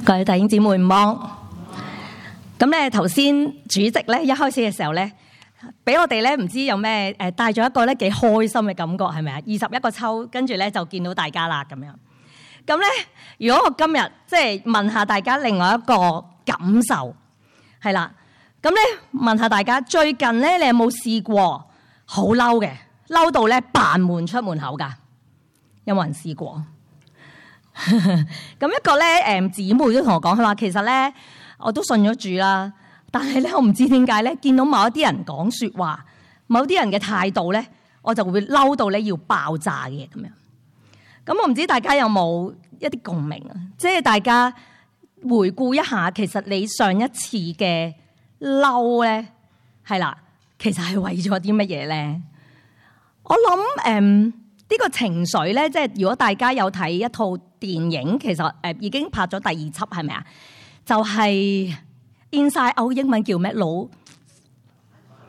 各位弟兄姊妹唔忙。咁咧頭先主席咧一開始嘅時候咧，俾我哋咧唔知有咩帶咗一個咧幾開心嘅感覺，係咪啊？21個抽，跟住咧就見到大家啦咁樣。咁咧，如果我今日即係問下大家另外一個感受，係啦，咁咧問下大家最近咧你有冇試過好嬲嘅，嬲到咧扮門出門口㗎？有冇人試過？咁一個咧姊妹都同我講，佢話其實咧我都信咗主啦，但係咧我唔知點解咧見到某一啲人講説話，某啲人嘅態度咧，我就會嬲到咧要爆炸嘅咁樣。咁我唔知大家有冇一啲共鳴啊？即係大家回顧一下，其實你上一次嘅嬲咧，係啦，其實係為咗啲乜嘢咧？我諗呢個情緒咧，即係如果大家有睇一套電影，其實已經拍咗第2輯，係咪啊？就係 Inside Out， 英文叫咩？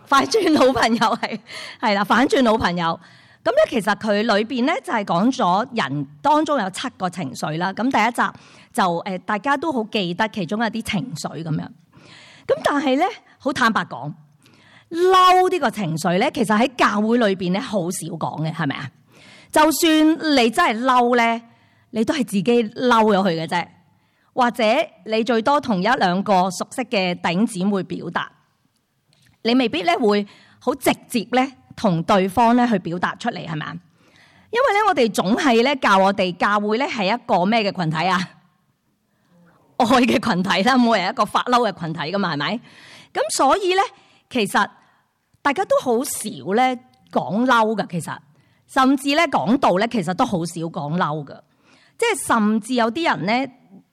快轉老朋友係啦，反轉老朋友。咁咧，其實佢裏邊咧就係講咗人當中有7個情緒啦。咁第一集就大家都好記得其中一啲情緒咁樣。咁但係咧，好坦白講，嬲呢個情緒咧，其實喺教會裏邊咧好少講嘅，係咪啊？就算你真係嬲咧，你都係自己嬲咗佢嘅啫，或者你最多同1、2個熟悉嘅弟兄姊妹表達，你未必咧會好直接咧同對方咧去表達出嚟，係咪啊？因為咧我哋總係咧教我哋教會咧係一個咩嘅群體啊？愛嘅群體啦，冇人一個發嬲嘅群體噶嘛，係咪？咁所以咧，其實大家都好少咧講嬲噶，其實甚至咧講道咧，其實都好少講嬲噶。即係甚至有啲人咧，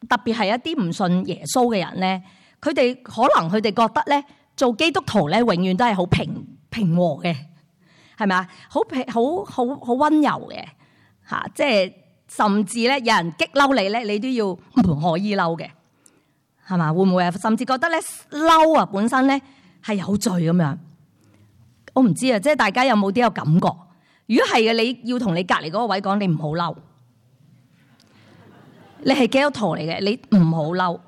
特別係一啲唔信耶穌嘅人咧，佢哋可能佢哋覺得咧做基督徒咧永遠都係好平和嘅。係咪啊？好溫柔嘅嚇，即係甚至咧有人激嬲你咧，你都要唔可以嬲嘅，係嘛？會唔會啊？甚至覺得咧嬲啊本身咧係有罪咁樣。我唔知啊，即係大家有冇啲有感覺？如果係嘅，你要同你隔離嗰個位講，你唔好嬲。你係基督徒嚟嘅，你唔好嬲。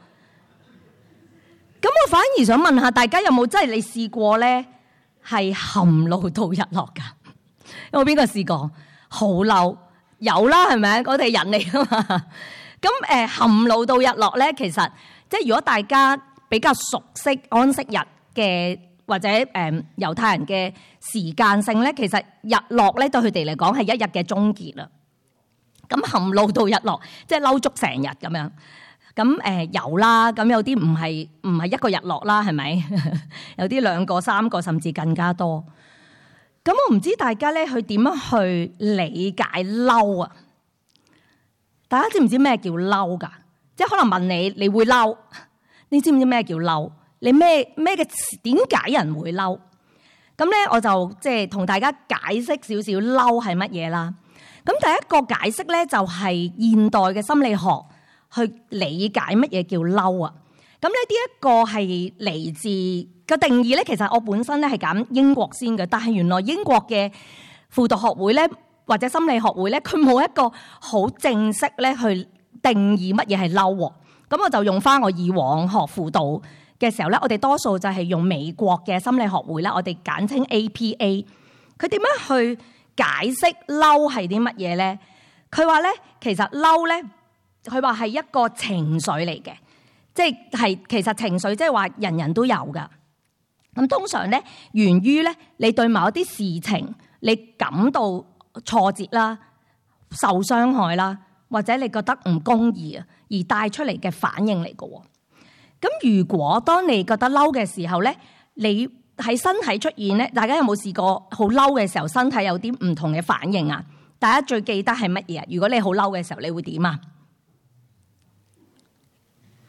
咁我反而想問下大家有冇真係你試過咧？係含怒到日落㗎，有冇邊個試過？好嬲有啦，係咪？我哋人嚟㗎嘛。咁含怒到日落咧，其實即係如果大家比較熟悉安息日嘅或者猶太人嘅時間性咧，其實日落咧對佢哋嚟講係一日嘅終結啦。咁含怒到日落，即係嬲足成日咁樣。咁有啦，咁有啲唔係一個日落啦，係咪？有啲2個、3個，甚至更加多。咁我唔知大家咧去點樣去理解嬲啊？大家知唔知咩叫嬲㗎？即係可能問你，你會嬲？你知唔知咩叫嬲？你咩嘅點解人會嬲？咁咧我就即係同大家解釋少少嬲係乜嘢啦。咁第一個解釋咧就係現代嘅心理學。去理解乜嘢叫嬲啊？咁呢啲一個係嚟自個定義咧，其實我本身咧係揀英國先嘅，但係原來英國嘅輔導學會咧或者心理學會咧，佢冇一個好正式咧去定義乜嘢係嬲喎。咁我就用翻我以往學輔導嘅時候咧，我哋多數就係用美國嘅心理學會啦，我哋簡稱 APA。佢點樣去解釋嬲係啲乜嘢咧？佢話咧，其實嬲咧。佢話係一個情緒嚟嘅，即係其實情緒即係話人人都有噶。咁通常咧源於咧你對某一啲事情你感到挫折啦、受傷害啦，或者你覺得唔公義啊，而帶出嚟嘅反應嚟嘅。咁如果當你覺得嬲嘅時候咧，你喺身體出現咧，大家有冇試過好嬲嘅時候身體有啲唔同嘅反應啊？大家最記得係乜嘢啊？如果你好嬲嘅時候，你會點啊？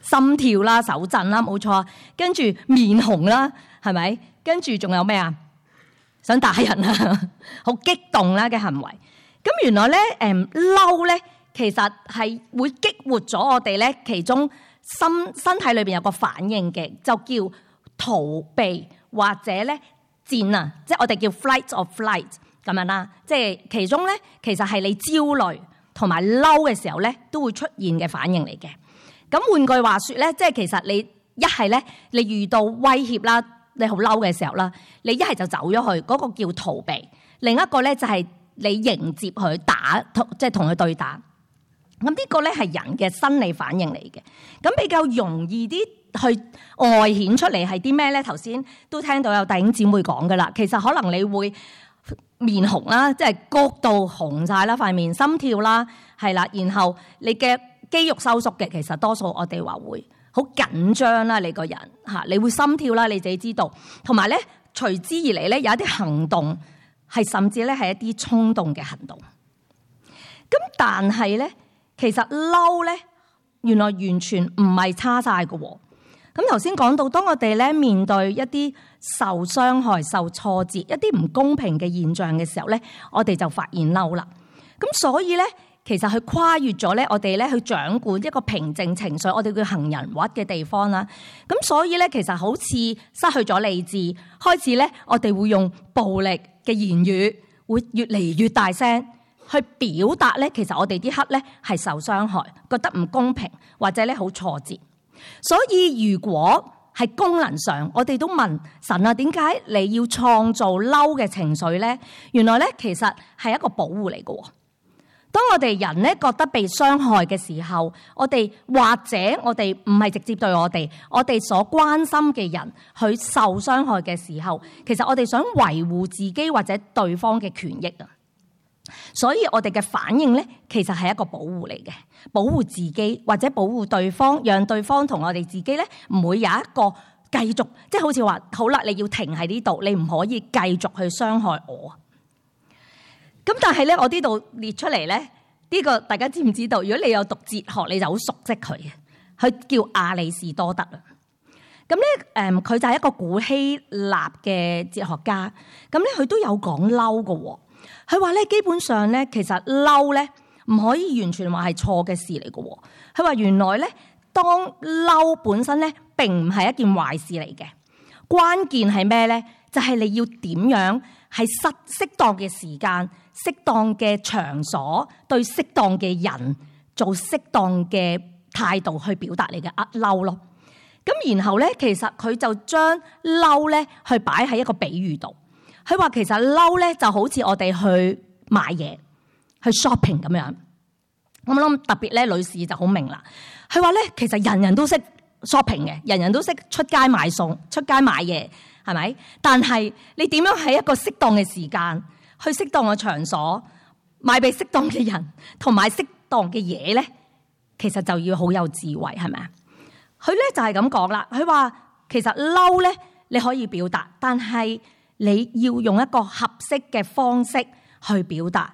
心跳啦、手震啦，冇錯。跟住面紅啦，係咪？跟住仲有咩啊？想打人啊，好激動啦嘅行為。咁原來咧，嬲咧，其實係會激活咗我哋咧，其中身體裏邊有個反應嘅，就叫逃避或者咧戰啊，即係我哋叫 fight or flight 咁樣啦。即係其中咧，其實係你焦慮同埋嬲嘅時候咧，都會出現嘅反應嚟嘅。咁換句話說咧，即係其實你一係咧，你遇到威脅啦，你好嬲嘅時候啦，你一係就走咗去，嗰個叫逃避；另一個咧就係你迎接佢打，即係同佢對打。咁呢個咧係人嘅生理反應嚟嘅。咁比較容易啲去外顯出嚟係啲咩咧？頭先都聽到有弟兄姊妹講噶啦，其實可能你會面紅啦，即係谷到紅晒啦，塊面心跳啦，係啦，然後你嘅肌肉收縮嘅，其實多數我哋話會好緊張啦，你個人嚇，你會心跳啦，你自己知道。同埋咧，隨之而嚟咧有一啲行動係甚至咧係一啲衝動嘅行動。咁但係咧，其實嬲咧原來完全唔係差晒嘅喎。咁頭先講到，當我哋咧面對一啲受傷害、受挫折、一啲唔公平嘅現象嘅時候咧，我哋就發現嬲啦。咁所以咧，其實佢跨越咗咧，我哋咧去掌管一個平靜情緒，我哋叫行人屈嘅地方啦。咁所以咧，其實好似失去咗理智，開始咧我哋會用暴力嘅言語，會越嚟越大聲去表達咧。其實我哋啲刻咧係受傷害，覺得唔公平，或者咧好挫折。所以如果係功能上，我哋都問神啊，點解你要創造嬲嘅情緒咧？原來咧其實係一個保護嚟嘅。當我哋人咧覺得被傷害嘅時候，我哋或者我哋唔係直接對我哋所關心嘅人去受傷害嘅時候，其實我哋想維護自己或者對方嘅權益啊。所以我哋嘅反應咧，其實係一個保護嚟嘅，保護自己或者保護對方，讓對方同我哋自己咧唔會有一個繼續，即係好似話好啦，你要停喺呢度，你唔可以繼續去傷害我。咁但係咧，我呢度列出嚟咧，呢個大家知唔知道？如果你有讀哲學，你就好熟悉佢嘅，佢叫亞里士多德啊。咁咧，佢就係一個古希臘嘅哲學家。咁咧，佢都有講嬲嘅。佢話咧，基本上咧，其實嬲咧唔可以完全話係錯嘅事嚟嘅。佢話原來咧，當嬲本身咧並唔係一件壞事嚟嘅。關鍵係咩咧？就係你要點樣係適當嘅時間、適當嘅場所，對適當嘅人做適當嘅態度去表達你嘅嬲咯。咁然後咧，其實佢就將嬲咧去擺喺一個比喻度。佢話其實嬲咧就好似我哋去買嘢去 shopping 咁樣。我諗特別咧女士就好明啦。佢話咧其實人人都識 shopping 嘅，人人都識出街買餸、出街買嘢，係咪？但係你點樣喺一個適當嘅時間、去適當嘅場所買俾適當嘅人同買適當嘅嘢咧，其實就要好有智慧，係咪啊？佢咧就係咁講啦。佢話其實嬲咧你可以表達，但係你要用一個合適嘅方式去表達，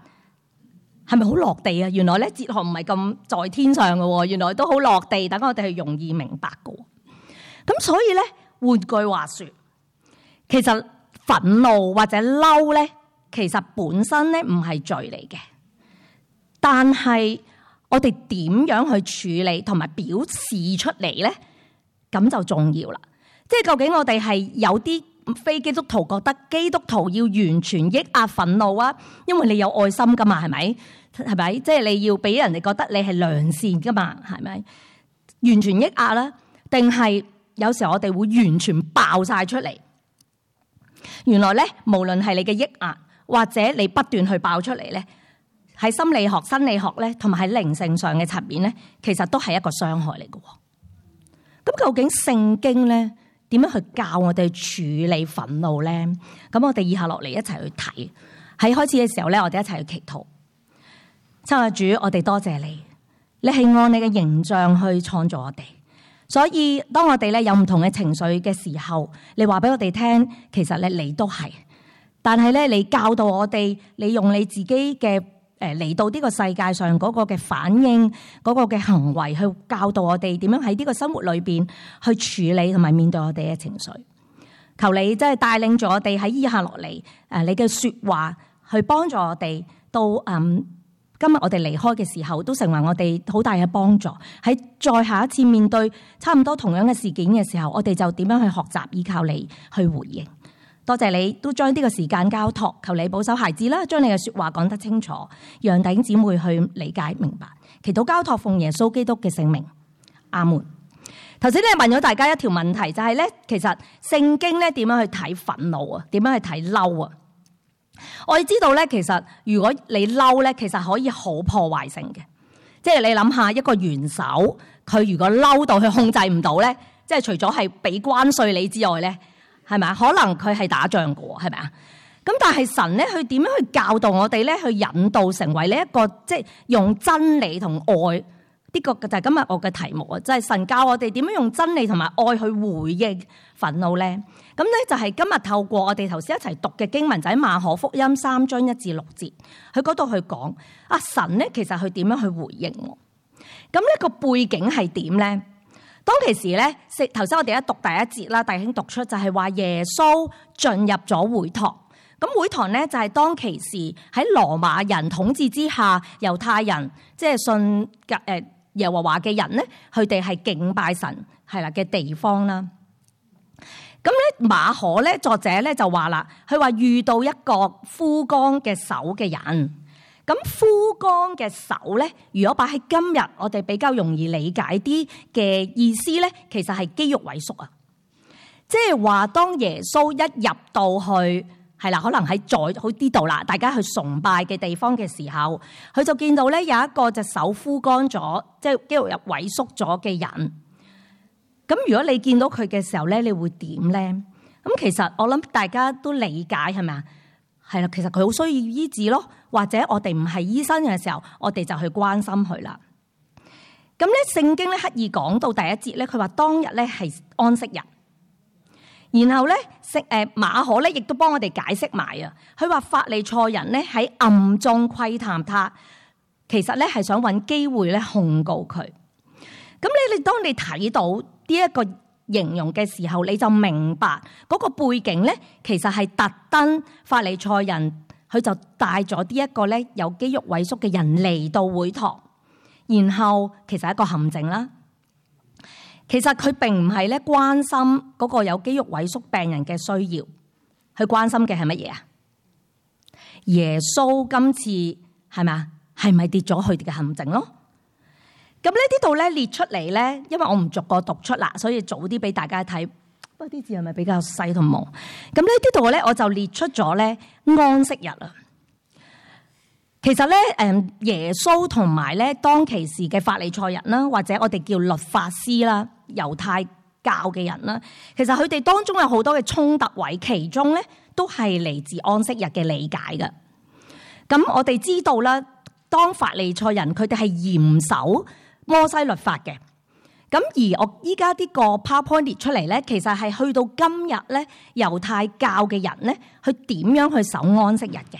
係咪好落地啊？原來咧哲學唔係咁在天上嘅，原來都好落地，等我哋係容易明白嘅。咁所以咧，換句話說，其實憤怒或者嬲咧，其實本身咧唔係罪嚟嘅，但係我哋點樣去處理同埋表示出嚟咧，咁就重要啦。即係究竟我哋係有啲非基督徒覺得基督徒要完全抑壓憤怒啊，因為你有愛心噶嘛，係咪？係咪？即係你要俾人哋覺得你係良善噶嘛，係咪？完全抑壓啦，定係有時候我哋會完全爆晒出嚟？原來咧，無論係你嘅抑壓或者你不斷去爆出嚟咧，喺心理學、生理學咧，同埋喺靈性上嘅層面咧，其實都係一個傷害嚟嘅。咁究竟聖經咧點樣去教我哋處理憤怒咧？咁我哋以下落嚟一齊去睇。喺開始嘅時候咧，我哋一齊去祈禱。親愛的主，我哋多謝你，你係按你嘅形象去創造我哋。所以當我哋咧有唔同嘅情緒嘅時候，你話俾我哋聽，其實咧你都係。但係咧，你教導我哋，你用你自己嘅嚟到呢個世界上嗰個嘅反應，嗰個嘅行為去教導我哋點樣喺呢個生活裏邊去處理同埋面對我哋嘅情緒。求你真係帶領住我哋喺以下落嚟，你嘅說話去幫助我哋到今日我哋離開嘅時候，都成為我哋好大嘅幫助。喺再下一次面對差唔多同樣嘅事件嘅時候，我哋就點樣去學習依靠你去回應。多謝你都將呢個時間交託，求你保守孩子啦，將你嘅說話講得清楚，讓弟兄姊妹去理解明白。祈禱交託奉耶穌基督嘅聖名，阿門。頭先咧問咗大家一條問題，就係咧其實聖經咧點樣去睇憤怒啊？點樣去睇嬲啊？我哋知道咧，其實如果你嬲咧，其實可以好破壞性嘅。即係你諗下一個元首，佢如果嬲到佢控制唔到咧，即係除咗係俾關稅你之外咧，係咪啊？可能佢係打仗嘅喎，係咪啊？咁但係神咧，佢點樣去教導我哋咧？去引導成為呢一個即係用真理同愛呢個就係今日我嘅題目啊！即係神教我哋點樣用真理同埋愛去回應憤怒咧？咁咧就係今日透過我哋頭先一齊讀嘅經文，就喺馬可福音3章1至6節，佢嗰度去講啊神咧其實佢點樣去回應我？咁呢個背景係點咧？當其時咧，頭先我哋一讀第一節啦，弟兄讀出就係話耶穌進入咗會堂。咁會堂咧就係當其時喺羅馬人統治之下，猶太人即係信耶和華嘅人咧，佢哋係敬拜神係啦嘅地方啦。咁咧馬可咧作者咧就話啦，佢話遇到一個枯乾嘅手嘅人。咁枯乾嘅手咧，如果擺喺今日我哋比較容易理解啲嘅意思咧，其實係肌肉萎縮啊。即係話當耶穌一入到去係啦，可能喺好呢度啦，大家去崇拜嘅地方嘅時候，佢就見到咧有一個隻手枯乾咗，即係肌肉入萎縮咗嘅人。咁如果你見到佢嘅時候咧，你會點咧？咁其實我諗大家都理解係咪啊？係啦，其實佢好需要醫治咯，或者我哋唔係醫生嘅時候，我哋就去關心佢啦。咁咧聖經咧刻意講到第一節咧，佢話當日咧係安息日，然後咧馬可咧亦都幫我哋解釋埋啊。佢話法利賽人咧喺暗中窺探他，其實咧係想揾機會咧控告佢。咁你當你睇到呢一個形容嘅時候，你就明白嗰個背景咧，其實係特登法利賽人佢就帶咗呢一個咧有肌肉萎縮嘅人嚟到會堂，然後其實係一個陷阱啦。其實佢並唔係咧關心嗰個有肌肉萎縮病人嘅需要，佢關心嘅係乜嘢啊？耶穌今次係咪啊？係咪跌咗佢哋嘅陷阱咯？咁呢啲度咧列出嚟咧，因為我唔逐個讀出啦，所以早啲俾大家睇。不過啲字係咪比較細同冇？咁呢啲度咧，我就列出咗咧安息日啊。其實咧，耶穌同埋咧當其時嘅法利賽人啦，或者我哋叫律法師啦、猶太教嘅人啦，其實佢哋當中有好多嘅衝突位，其中咧都係嚟自安息日嘅理解嘅。咁我哋知道啦，當法利賽人佢哋係嚴守摩西律法嘅，咁而我依家呢個 PowerPoint 列出嚟咧，其實係去到今日咧，猶太教嘅人咧，佢點樣去守安息日嘅？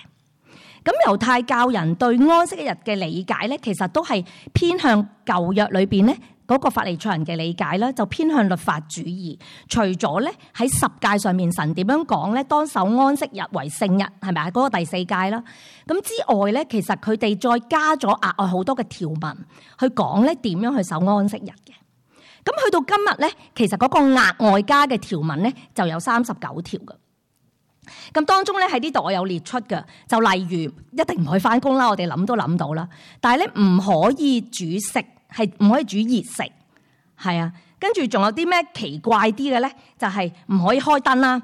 咁猶太教人對安息日嘅理解咧，其實都係偏向舊約裏邊咧嗰個法利賽人嘅理解啦，就偏向律法主義。除咗咧喺十誡上面神點樣講咧，當守安息日為聖日，係咪啊？嗰個第4誡啦。咁之外咧，其實佢哋再加咗額外好多嘅條文去講咧點樣去守安息日嘅。咁去到今日咧，其實嗰個額外加嘅條文咧就有39條嘅。咁當中咧喺呢度我有列出嘅，就例如一定唔可以返工啦，我哋諗都諗到啦。但係咧唔可以煮食，係唔可以煮熱食，係啊。跟住仲有啲咩奇怪啲嘅咧，就係唔可以開燈啦，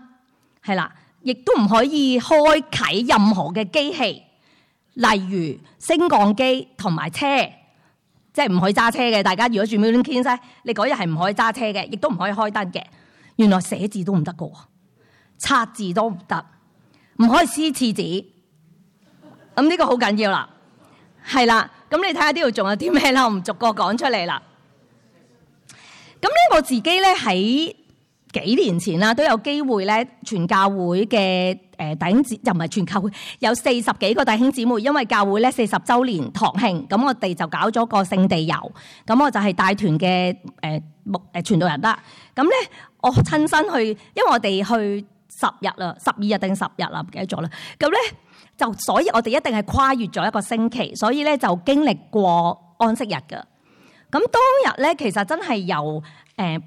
係啦，亦都唔可以開啟任何嘅機器，例如升降機同埋車，即係唔可以揸車嘅。大家如果住 Milton Keynes 咧，你嗰日係唔可以揸車嘅，亦都唔可以開燈嘅。原來寫字都唔得㗎喎。擦字都唔得，唔可以撕廁紙。咁呢個好緊要啦，係啦。咁你睇下呢度仲有啲咩啦？我唔逐個講出嚟啦。咁咧我自己咧喺幾年前啦，都有機會咧全教會嘅弟兄姊妹，又唔係全教會，有40幾個弟兄姊妹，因為教會咧40週年堂慶，咁我哋就搞咗個聖地遊。咁我就係帶團嘅傳道人啦。咁咧我親身去，因為我哋去10日啦，12日定10日啦，唔記得咗啦。咁咧就所以我哋一定係跨越咗一個星期，所以咧就經歷過安息日㗎。咁當日咧其實真係由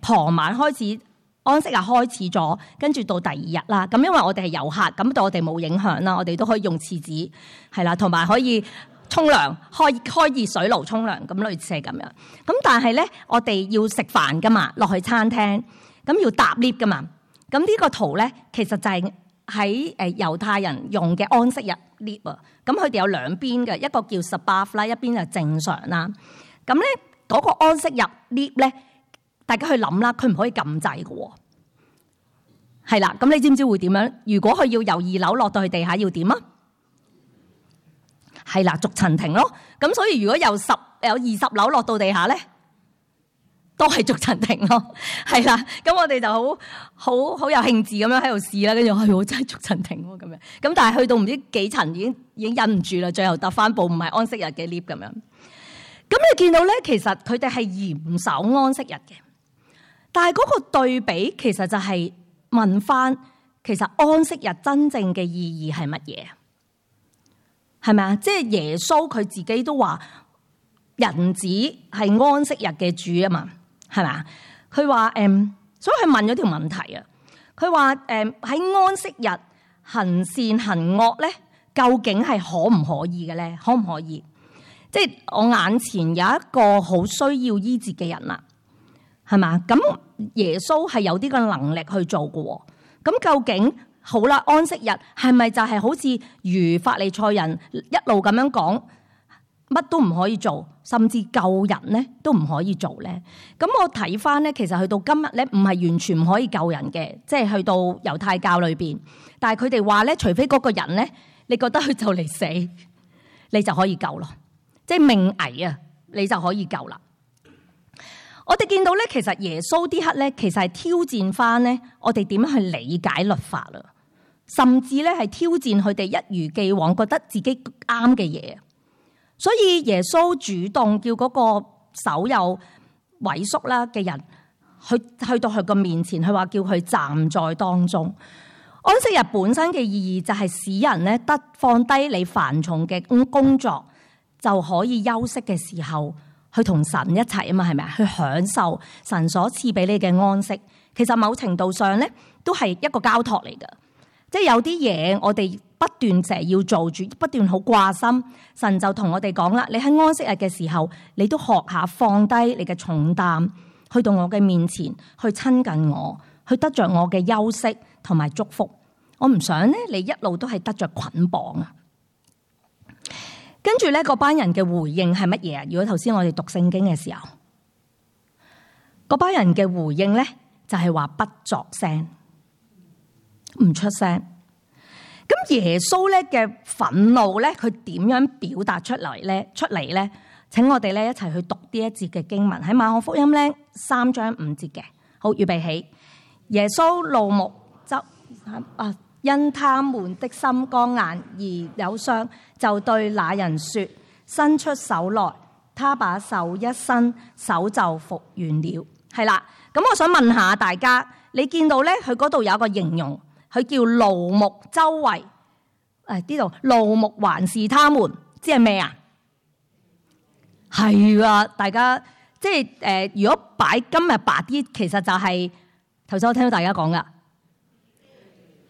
傍晚開始，安息日開始咗，跟住到第2日啦。咁因為我哋係遊客，咁對我哋冇影響啦，我哋都可以用廁紙係啦，同埋可以沖涼，開熱水爐沖涼，咁類似係咁樣。咁但係咧，我哋要食飯噶嘛，落去餐廳，咁要搭 lift 噶嘛。咁呢個圖咧，其實就係喺猶太人用嘅安息日 lift 啊。咁佢哋有兩邊嘅，一個叫 Sabbath 啦，一邊就正常啦。咁咧嗰個安息日 lift 咧，大家去諗啦，佢唔可以撳掣嘅喎。係啦，咁你知唔知會點樣？如果佢要由2樓落到去地下，要點啊？係啦，逐層停咯。咁所以如果由20樓落到地下咧，都係逐層停咯。係啦，咁我哋就好有興致咁樣喺度試啦。跟住係我真係逐層停喎咁樣。咁但係去到唔知幾層已經忍唔住啦，最後搭翻部唔係安息日嘅 lift 咁樣。咁你見到咧，其實佢哋係嚴守安息日嘅，但係嗰個對比其實就係問翻，其實安息日真正嘅意義係乜嘢？係咪啊？即係耶穌佢自己都話，人子係安息日嘅主啊嘛，係咪啊？佢話所以佢問咗條問題啊。佢話喺安息日行善行惡咧，究竟係可唔可以嘅咧？可唔可以？即係我眼前有一個好需要醫治嘅人啦，係嘛？咁耶穌係有啲個能力去做嘅。咁究竟好啦，安息日係咪就係好似如法利賽人一路咁樣講，乜都唔可以做，甚至救人咧都唔可以做咧？咁我睇翻咧，其實去到今日咧，唔係完全唔可以救人嘅，即係去到猶太教裏邊。但係佢哋話咧，除非嗰個人咧，你覺得佢就嚟死，你就可以救咯。即係命危啊，你就可以救啦。我哋見到咧，其實耶穌啲刻咧，其實係挑戰翻咧，我哋點樣去理解律法啦，甚至咧係挑戰佢哋一如既往覺得自己啱嘅嘢。所以耶穌主動叫嗰個手有萎縮啦嘅人，去到佢個面前，佢話叫佢站在當中。安息日本身嘅意義就係使人咧得放低你繁重嘅工作，就可以休息嘅時候，去同神一齊啊嘛，係咪啊？去享受神所賜俾你嘅安息。其實某程度上咧，都係一個交託嚟㗎。即係有啲嘢我哋不斷成日要做住，不斷好掛心。神就同我哋講啦，你喺安息日嘅時候，你都學下放低你嘅重擔，去到我嘅面前，去親近我，去得着我嘅休息同埋祝福。我唔想咧，你一路都係得着捆綁啊！跟住咧，嗰班人嘅回應係乜嘢啊？如果頭先我哋讀聖經嘅時候，嗰班人嘅回應咧就係話不作聲，唔出聲。咁耶穌咧嘅憤怒咧，佢點樣表達出嚟咧？請我哋咧一齊去讀呢一節嘅經文，喺馬可福音咧3章5節嘅。好，預備起。耶穌怒目因他們的心剛硬而有傷，就對那人說：伸出手來。他把手一伸，手就復原了。係啦，咁我想問下大家，你見到咧佢嗰度有一個形容，佢叫怒目周圍。呢度怒目環視他們，即係咩啊？係啊，大家即係如果擺今日白啲，其實就係頭先我聽到大家講噶。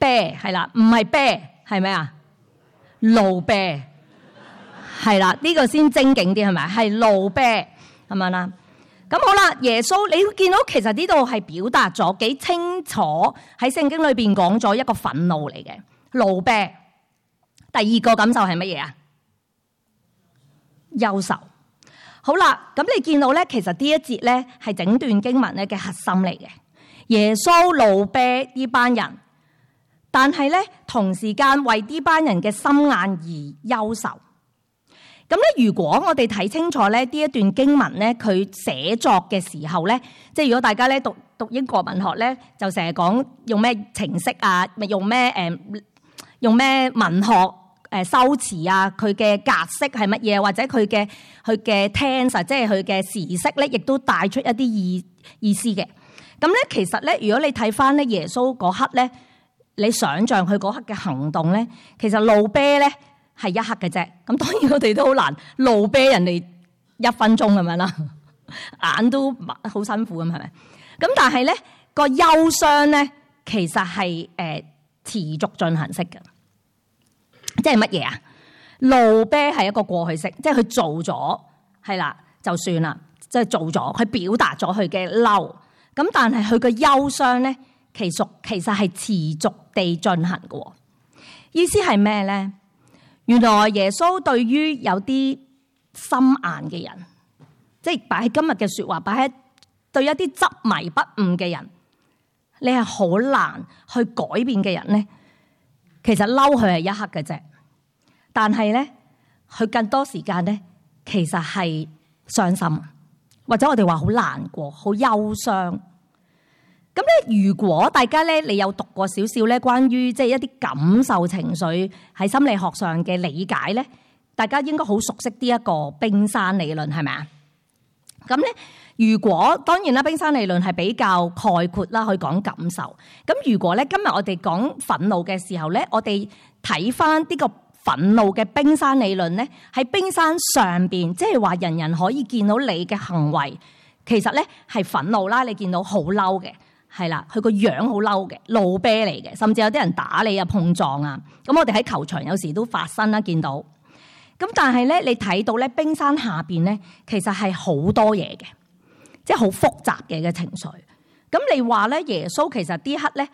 啤係啦，唔係啤，係咩啊？怒啤係啦，呢個先精警啲係咪？係怒啤咁樣啦。咁好啦，耶穌你會見到其實呢度係表達咗幾清楚，喺聖經裏邊講咗一個憤怒嚟嘅怒啤。第二個感受係乜嘢啊？憂愁。好啦，咁你見到咧，其實呢一節咧係整段經文咧嘅核心嚟嘅。耶穌怒啤呢班人。但係咧，同時間為呢班人嘅心眼而憂愁。咁咧，如果我哋睇清楚咧呢一段經文咧，佢寫作嘅時候咧，即係如果大家咧讀英國文學咧，就成日講用咩程式啊，咪用咩文學修辭啊，佢嘅格式係乜嘢，或者佢嘅tense，即係佢嘅時式咧，亦都帶出一啲意思嘅。咁咧，其實咧，如果你睇翻咧耶穌嗰刻咧。你想象佢嗰刻嘅行動咧，其實怒啤咧係一刻嘅啫。咁當然我哋都好難怒啤人哋1分鐘咁樣啦，眼都好辛苦咁，係咪？咁但係咧個憂傷咧，其實係持續進行式嘅，即係乜嘢啊？怒啤係一個過去式，即係佢做咗係啦就算啦，即係做咗，佢表達咗佢嘅嬲。咁但係佢嘅憂傷咧，其實係持續地進行嘅。意思係咩咧？原來耶穌對於有啲心硬嘅人，即係擺喺今日嘅說話，擺喺對一啲執迷不悟嘅人，你係好難去改變嘅人咧。其實嬲佢係一刻嘅啫，但係咧佢更多時間咧，其實係傷心，或者我哋話好難過、好憂傷。咁咧，如果大家咧，你有讀過少少咧，關於即係一啲感受情緒喺心理學上嘅理解咧，大家應該好熟悉呢一個冰山理論，係咪啊？咁咧，如果當然啦，冰山理論係比較概括啦，去講感受。咁如果咧，今日我哋講憤怒嘅時候咧，我哋睇翻呢個憤怒嘅冰山理論咧，喺冰山上邊，即係話人人可以見到你嘅行為，其實咧係憤怒啦，你見到好嬲嘅。係啦，佢個樣好嬲嘅，怒啤嚟嘅，甚至有啲人打你啊、碰撞啊。咁我哋喺球場有時都發生啦，見到。咁但係咧，你睇到咧冰山下邊咧，其實係好多嘢嘅，即係好複雜嘅情緒。咁你話咧，耶穌其實呢刻咧，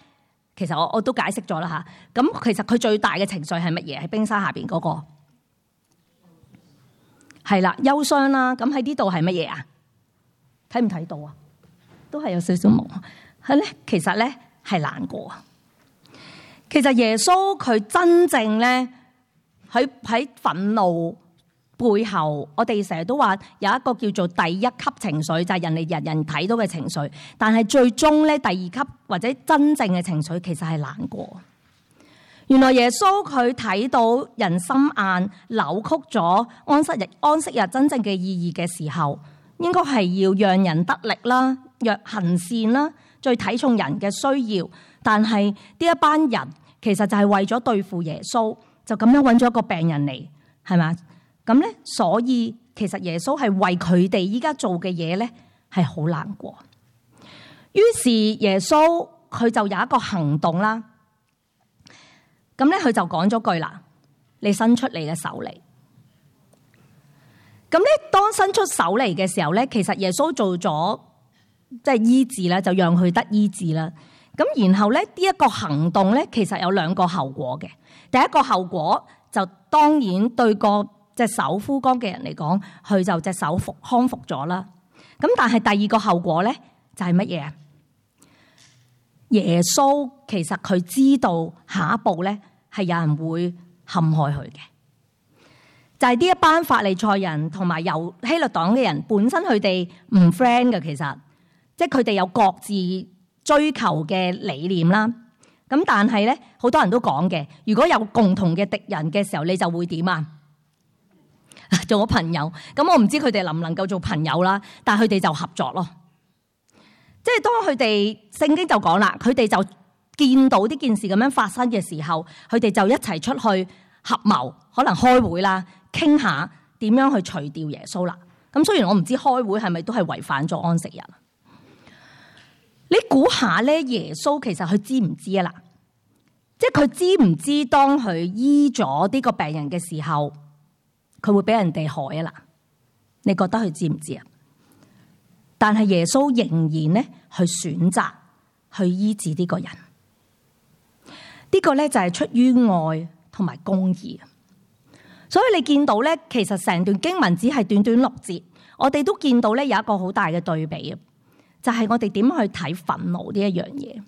其實我都解釋咗啦吓。咁其實佢最大嘅情緒係乜嘢？喺冰山下邊嗰個係啦，憂傷啦。咁喺呢度係乜嘢啊？睇唔睇到啊？都係有少少朦。係咧，其實咧係難過。其實耶穌佢真正咧喺憤怒背後，我哋成日都話有一個叫做第一級情緒，就係人人睇到嘅情緒。但係最終咧，第二級或者真正嘅情緒，其實係難過。原來耶穌佢睇到人心硬，扭曲咗安息日真正嘅意義嘅時候，應該係要讓人得力啦，若行善啦。最睇重人嘅需要，但係呢一班人其實就係為咗對付耶穌，就咁樣揾咗一個病人嚟，係咪？咁咧，所以其實耶穌係為佢哋依家做嘅嘢咧，係好難過。於是耶穌佢就有一個行動啦。咁咧，佢就講咗句啦：你伸出你嘅手嚟。咁咧，當伸出手嚟嘅時候咧，其實耶穌做咗。即係醫治啦，就讓佢得醫治啦。咁然後咧，呢一個行動咧，其實有兩個後果嘅。第一個後果就當然對個隻手枯乾嘅人嚟講，佢就隻手康復咗啦。咁但係第二個後果咧，就係乜嘢啊？耶穌其實佢知道下一步咧係有人會陷害佢嘅，就係呢一班法利賽人同埋由希律黨嘅人，本身佢哋唔 friend 嘅，其實。即係佢哋有各自追求嘅理念啦，咁但係咧，好多人都講嘅，如果有共同嘅敵人嘅時候，你就會點啊？做咗朋友，咁我唔知佢哋能唔能夠做朋友啦，但係佢哋就合作咯。即係當佢哋聖經就講啦，佢哋就見到呢件事咁樣發生嘅時候，佢哋就一齊出去合謀，可能開會啦，傾下點樣去除掉耶穌啦。咁雖然我唔知開會係咪都係違反咗安息日。你估下咧，耶穌其實佢知唔知啊？啦，即係佢知唔知當佢醫咗呢個病人嘅時候，佢會俾人哋害啊？啦，你覺得佢知唔知啊？但係耶穌仍然咧去選擇去醫治呢個人，呢個咧就係出於愛同埋公義。所以你見到咧，其實成段經文只係短短6節，我哋都見到咧有一個好大嘅對比啊！就係我哋點去睇憤怒呢一樣嘢，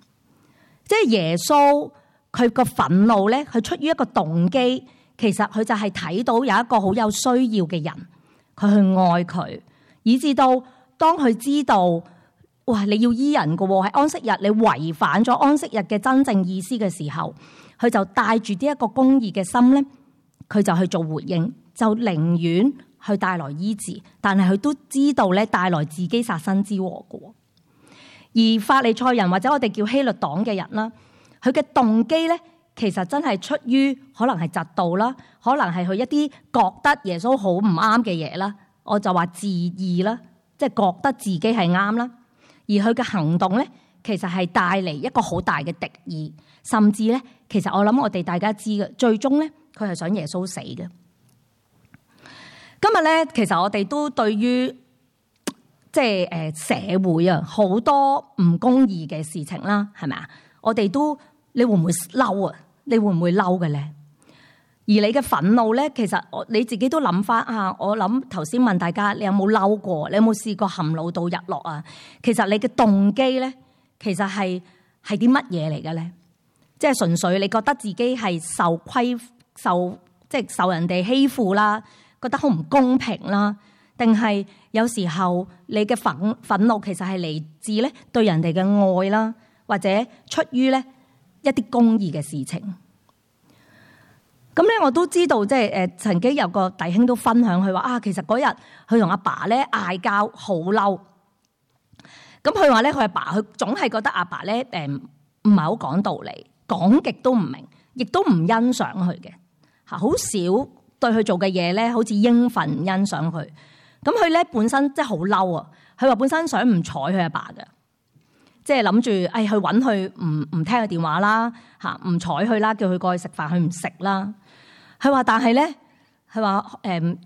即係耶穌佢個憤怒咧，佢出於一個動機，其實佢就係睇到有一個好有需要嘅人，佢去愛佢，以至到當佢知道，哇！你要醫人㗎喎，喺安息日你違反咗安息日嘅真正意思嘅時候，佢就帶住呢一個公義嘅心咧，佢就去做回應，就寧願去帶來醫治，但係佢都知道咧帶來自己殺身之禍㗎。而法利賽人或者我哋叫希律黨嘅人啦，佢嘅動機咧，其實真係出於可能係嫉妒啦，可能係佢一啲覺得耶穌好唔啱嘅嘢啦，我就話自義啦，即係覺得自己係啱啦。而佢嘅行動咧，其實係帶嚟一個好大嘅敵意，甚至咧，其實我諗我哋大家知嘅，最終咧，佢係想耶穌死嘅。今日咧，其實我哋都對於即係社會啊，好多唔公義嘅事情啦，係咪啊？我哋都，你會唔會嬲啊？你會唔會嬲嘅咧？而你嘅憤怒咧，其實你自己都諗翻啊！我諗頭先問大家，你有冇嬲過？你有冇試過含怒到日落啊？其實你嘅動機咧，其實係啲乜嘢嚟嘅咧？即係純粹你覺得自己係即係受人哋欺負啦，覺得好唔公平啦，定係有時候你嘅憤怒其實係嚟自咧對人哋嘅愛啦，或者出於咧一啲公義嘅事情。咁咧，我都知道，即係曾經有個弟兄都分享佢話啊，其實嗰日佢同阿爸咧嗌交，好嬲。咁佢話咧，佢阿爸佢總係覺得阿爸咧唔係好講道理，講極都唔明，亦都唔欣賞佢嘅嚇，好少對佢做嘅嘢咧，好似應份欣賞佢。咁佢咧本身即係好嬲啊！佢話本身想唔睬佢阿爸嘅，即係諗住去揾佢唔聽佢電話啦嚇，唔睬佢啦，叫佢過去食飯，佢唔食啦。佢話但係咧，佢話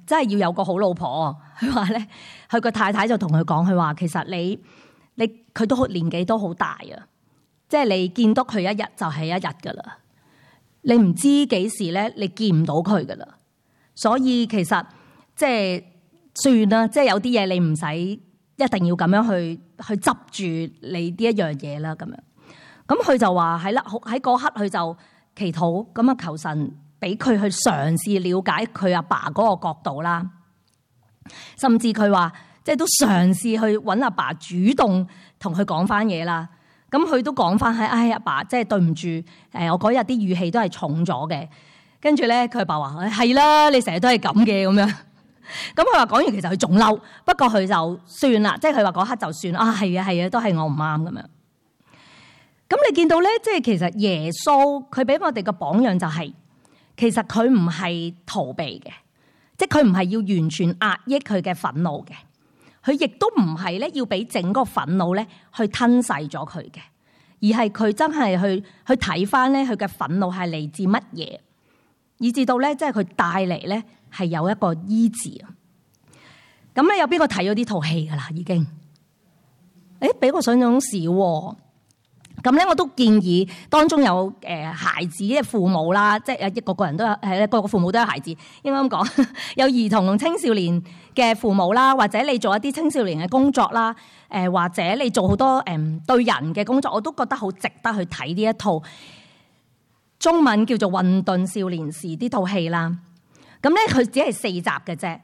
真係要有個好老婆。佢話咧，佢個太太就同佢講，佢話其實你佢都年紀都好大啊，即係你見到佢一日就係一日噶啦，你唔知幾時咧你見唔到佢噶啦，所以其實即係算啦，即係有啲嘢你唔使一定要咁樣去執住你呢一樣嘢啦，咁樣。咁佢就話係啦，喺嗰刻佢就祈禱，咁啊求神俾佢去嘗試了解佢阿爸嗰個角度啦，甚至佢話即係都嘗試去揾阿爸主動同佢講翻嘢啦。咁佢都講翻係，阿爸即係對唔住，我嗰日啲語氣都係重咗嘅。跟住咧，佢阿爸話係啦，你成日都係咁嘅咁樣。咁佢話講完其實佢仲嬲，不過佢就算啦，即係佢話嗰刻就算啊，係啊，都係我唔啱咁樣。咁你見到咧，即係其實耶穌佢俾我哋嘅榜樣就係，其實佢唔係逃避嘅，即係佢唔係要完全壓抑佢嘅憤怒嘅，佢亦都唔係咧要俾整個憤怒咧去吞噬咗佢嘅，而係佢真係去睇翻咧佢嘅憤怒係嚟自乜嘢，以至到咧即係佢帶嚟咧係有一個醫治啊。咁咧有邊個睇咗呢套戲噶啦？已經，比我想象中少喎。咁咧，我都建議當中有孩子嘅父母啦，即係個個人都有，個個父母都有孩子，應該咁講，有兒童同青少年嘅父母啦，或者你做一啲青少年嘅工作啦，或者你做好多對人嘅工作，我都覺得好值得去睇呢一套中文叫做《混沌少年時》呢套戲啦。咁咧，佢只係4集嘅啫。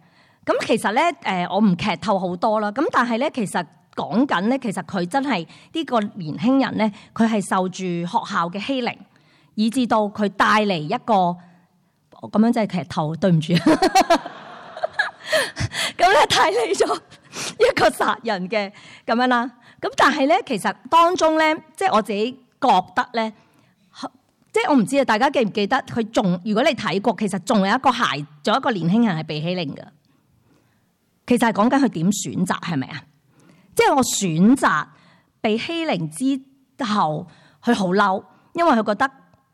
咁其實咧，我唔劇透好多啦。咁但係咧，其實講緊咧，其實佢真係呢個年輕人咧，佢係受住學校嘅欺凌，以至到佢帶嚟一個咁樣即係劇透，對唔住。咁咧帶嚟咗一個殺人嘅咁樣啦。咁但係咧，其實當中咧，即係我自己覺得咧，即係我唔知啊，大家記唔記得佢仲？如果你睇過，其實仲有一個仲有一個年輕人係被欺凌嘅。其實係講緊佢點選擇，係咪啊？即係我選擇被欺凌之後，佢好嬲，因為佢覺得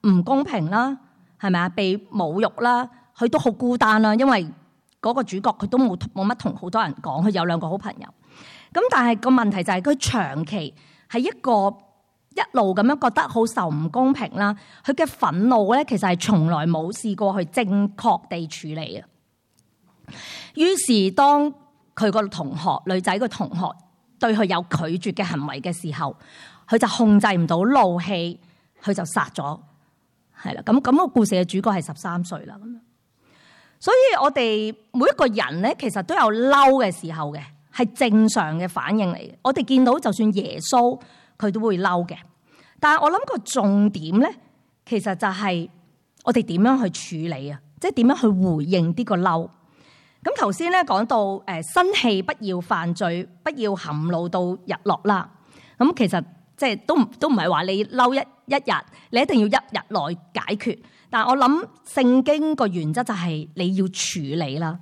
唔公平啦，係咪啊？被侮辱啦，佢都好孤單啦，因為嗰個主角佢都冇乜同好多人講，佢有2個好朋友。咁但係個問題就係佢長期係一路咁樣覺得好受唔公平啦，佢嘅憤怒咧其實係從來冇試過去正確地處理啊。於是當佢個同學女仔個同學對佢有拒絕嘅行為嘅時候，佢就控制唔到怒氣，佢就殺咗，係啦。咁個故事嘅主角係13歲啦，咁樣。所以我哋每一個人咧，其實都有嬲嘅時候嘅，係正常嘅反應嚟嘅。我哋見到就算耶穌佢都會嬲嘅，但係我諗個重點咧，其實就係我哋點樣去處理啊，即係點樣去回應呢個嬲。咁頭先咧講到生氣不要犯罪，不要含怒到日落啦。咁其實即係都唔係話你嬲一日，你一定要1日內解決。但係我諗聖經個原則就係你要處理啦。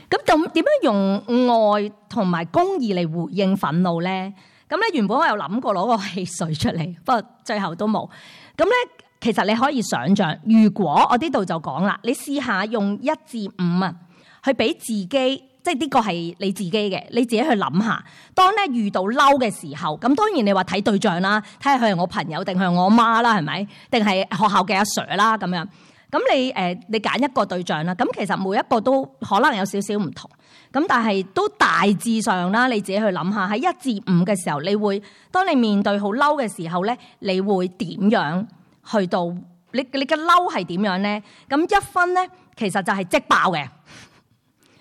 咁點樣用愛同埋公義嚟回應憤怒咧？咁咧原本我有諗過攞個汽水出嚟，不過最後都冇。咁咧。其實你可以想象，如果我呢度就講啦，你試下用1至5啊，去俾自己，即係呢個係你自己嘅，你自己去諗下。當咧遇到嬲嘅時候，咁當然你話睇對象啦，睇下佢係我朋友定係我媽啦，係咪？定係學校嘅阿 Sir 啦咁樣。咁你揀一個對象啦，咁其實每一個都可能有少少唔同，咁但係都大致上啦，你自己去諗下，喺1至5嘅時候，你會當你面對好嬲嘅時候咧，你會點樣去到你嘅嬲係點樣咧？咁1分咧，其實就係即爆嘅，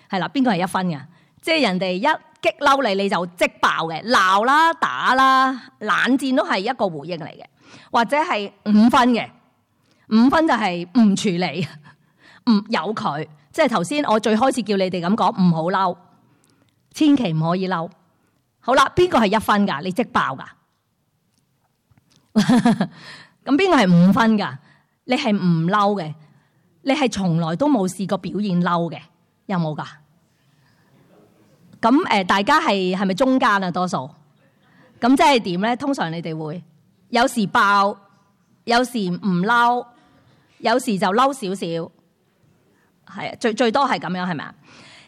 係啦，邊個係1分嘅？即係人哋一激嬲你，你就即爆嘅，鬧啦、打啦、冷戰都係一個回應嚟嘅，或者係5分嘅。5分就係唔處理，唔由佢，即係頭先我最開始叫你哋咁講，唔好嬲，千祈唔可以嬲。好啦，邊個係1分噶？你即爆噶？咁邊個係5分噶？你係唔嬲嘅，你係從來都冇試過表現嬲嘅，有冇噶？咁大家係咪中間啊？多數咁即係點咧？通常你哋會有時爆，有時唔嬲。有時就嬲少少，係最多係咁樣，係咪啊？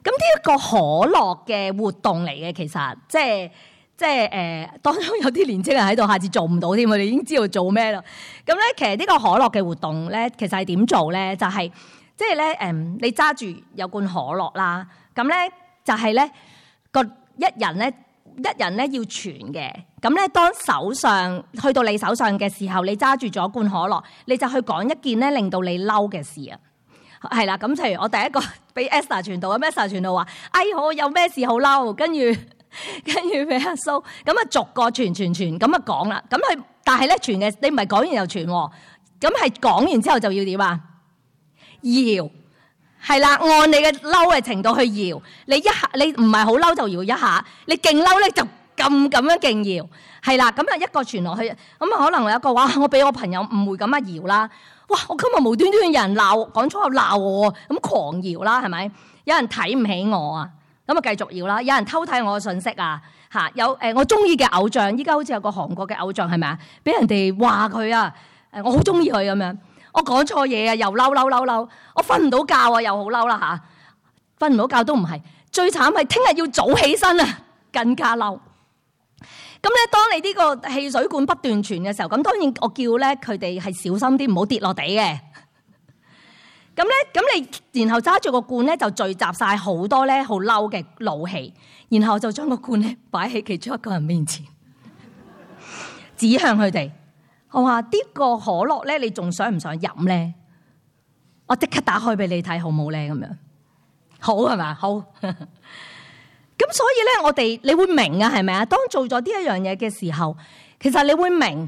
咁呢一個可樂嘅活動嚟嘅，其實即係當中有啲年青人喺度，下次做唔到添，我哋已經知道做咩啦。咁咧，其實呢個可樂嘅活動咧，其實係點做咧？就係即係咧，你揸住有罐可樂啦，咁咧就係咧一人咧要傳嘅，咁咧當手上去到你手上嘅時候，你揸住咗罐可樂，你就去講一件咧令到你嬲嘅事啊，係啦。咁譬如我第一個俾 Esther 傳道，咁 Esther 傳道話：哎，我有咩事好嬲？跟住俾阿蘇，咁啊逐個傳咁啊講啦。咁佢但係咧傳嘅，你唔係講完又傳，咁係講完之後就要點啊？搖。係啦，按你嘅嬲嘅程度去搖，你一下你唔係好嬲就搖一下，你勁嬲咧就咁樣勁搖，係啦，咁啊一個傳落去，咁啊可能有一個話我俾我朋友誤會咁啊搖啦，哇！我今日無端端有人鬧講粗口鬧我，咁狂搖啦，係咪？有人睇唔起我啊，咁啊繼續搖啦，有人偷睇我嘅信息啊，嚇有我中意嘅偶像，依家好似有個韓國嘅偶像係咪啊？俾人哋話佢啊，我好中意佢咁樣。我講錯嘢啊，又嬲！我瞓唔到覺啊，又好嬲啦嚇！瞓唔到覺都唔係，最慘係聽日要早起身啊，更加嬲。咁咧，當你呢個汽水罐不斷傳嘅時候，咁當然我叫咧佢哋係小心啲，唔好跌落地嘅。咁你然後揸住個罐咧，就聚集晒好多咧好嬲嘅怒氣，然後就將個罐咧擺喺其中一個人面前，指向佢哋。我話呢個可樂咧，你仲想唔想飲咧？我即刻打開俾你睇，好冇咧？咁樣好係咪？好。咁所以咧，你會明啊，係咪啊？當做咗呢一樣嘢嘅時候，其實你會明，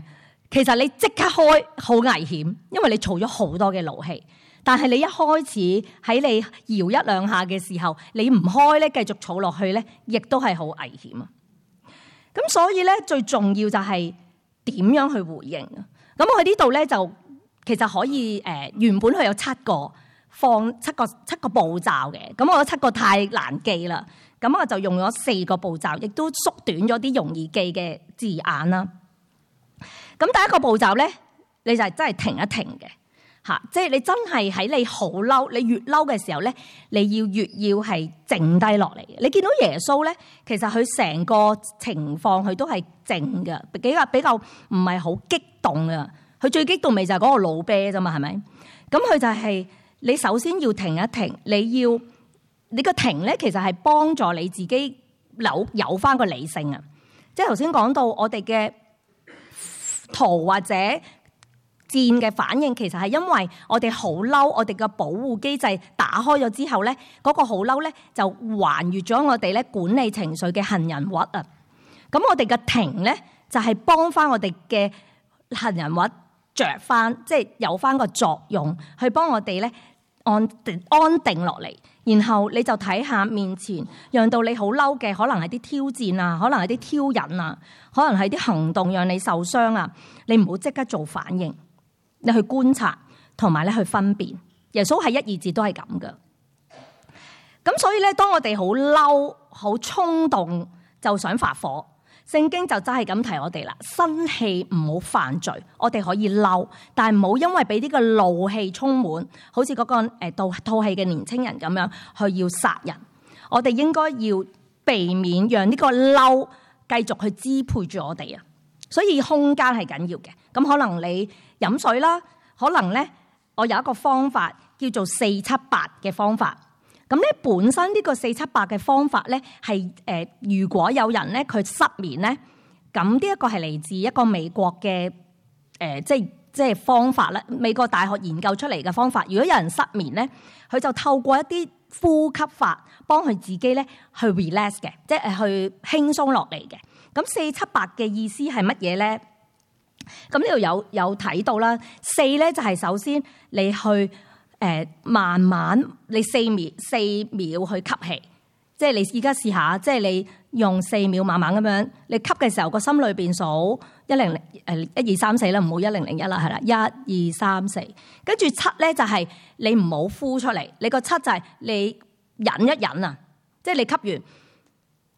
其實你即刻開好危險，因為你儲咗好多嘅怒氣。但係你一開始喺你搖一兩下嘅時候，你唔開咧，繼續儲落去咧，亦都係好危險啊。咁所以咧，最重要就係點樣去回應啊？咁我喺呢度咧就其實可以原本佢有7個七個步驟嘅，咁我覺得7個太難記啦，咁我就用咗4個步驟，亦都縮短咗啲容易記嘅字眼啦。咁第一個步驟咧，你就係真係停一停嘅嚇，即係你真係喺你好嬲，你越嬲嘅時候咧，你越要係靜低落嚟。你見到耶穌咧，其實佢成個情況佢都係靜嘅，比較唔係好激動啊。佢最激動咪就係嗰個老啤啫嘛，係咪？咁佢就係你首先要停一停，你個停咧，其實係幫助你自己有翻個理性啊。即係頭先講到我哋嘅逃或者戰嘅反應，其實係因為我哋好嬲，我哋嘅保護機制打開咗之後咧，嗰個好嬲咧就還原咗我哋咧管理情緒嘅杏仁核啊。咁我哋嘅停咧就係幫翻我哋嘅杏仁核着翻，即係有翻個作用，去幫我哋咧安定落嚟。然後你就睇下面前，讓到你好嬲嘅，可能係啲挑戰啊，可能係啲挑釁啊，可能係啲行動讓你受傷啊。你唔好即刻做反應，你去觀察同埋咧去分辨。耶穌係1、2節都係咁噶。咁所以咧，當我哋好嬲、好衝動就想發火，聖經就真係咁提我哋啦，生氣唔好犯罪，我哋可以嬲，但係唔好因為俾呢個怒氣充滿，好似嗰個套戲嘅年青人咁樣去要殺人。我哋應該要避免讓呢個嬲繼續去支配住我哋啊。所以空間係緊要嘅。咁可能你飲水啦，可能咧我有一個方法叫做4-7-8嘅方法。咁咧本身呢個4-7-8嘅方法咧係如果有人咧佢失眠咧，咁呢一個係嚟自一個美國嘅即係方法咧，美國大學研究出嚟嘅方法。如果有人失眠咧，佢就透過一啲呼吸法幫佢自己咧去 relax 嘅，即係去輕鬆落嚟嘅。咁4-7-8嘅意思係乜嘢咧？咁呢度有睇到啦。4咧就係首先你去慢慢你4秒去吸氣，即係你而家試下，即係你用4秒慢慢咁樣，你吸嘅時候個心裏邊數100 1 2 3 4啦，唔好1001啦，係啦，1 2 3 4，跟住7咧就係你唔好呼出嚟，你個7就係你忍一忍啊，即係你吸完，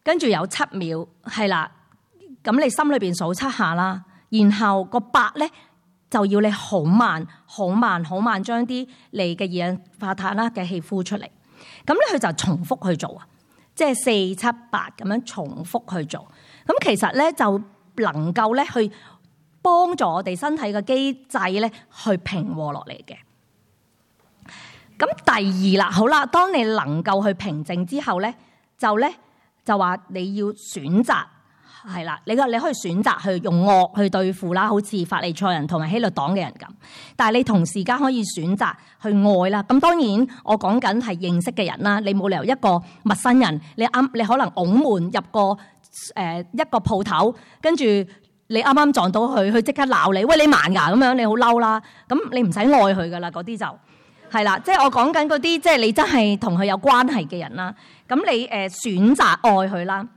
跟住有7秒係啦，咁你心裏邊數7下啦，然後個8咧。就要你好慢、好慢、好慢將啲你嘅二氧化碳啦嘅氣呼出嚟，咁咧佢就重複去做啊，即係4-7-8咁樣重複去做。咁其實咧就能夠咧去幫助我哋身體嘅機制咧去平和落嚟嘅。咁第二啦，好啦，當你能夠去平靜之後咧，就話你要選擇。係啦，你可以選擇去用惡去對付啦，好似法利賽人同埋希律黨嘅人咁。但係你同時間可以選擇去愛啦。咁當然我講緊係認識嘅人啦，你冇理由一個陌生人，你可能拱門入個一個鋪頭，跟住你啱啱撞到佢即刻鬧你，喂，你盲㗎咁樣，你好嬲啦。咁你唔使愛佢噶啦，嗰啲就係啦。即係我講緊嗰啲，即係你真係同佢有關係嘅人啦。咁你選擇愛佢啦。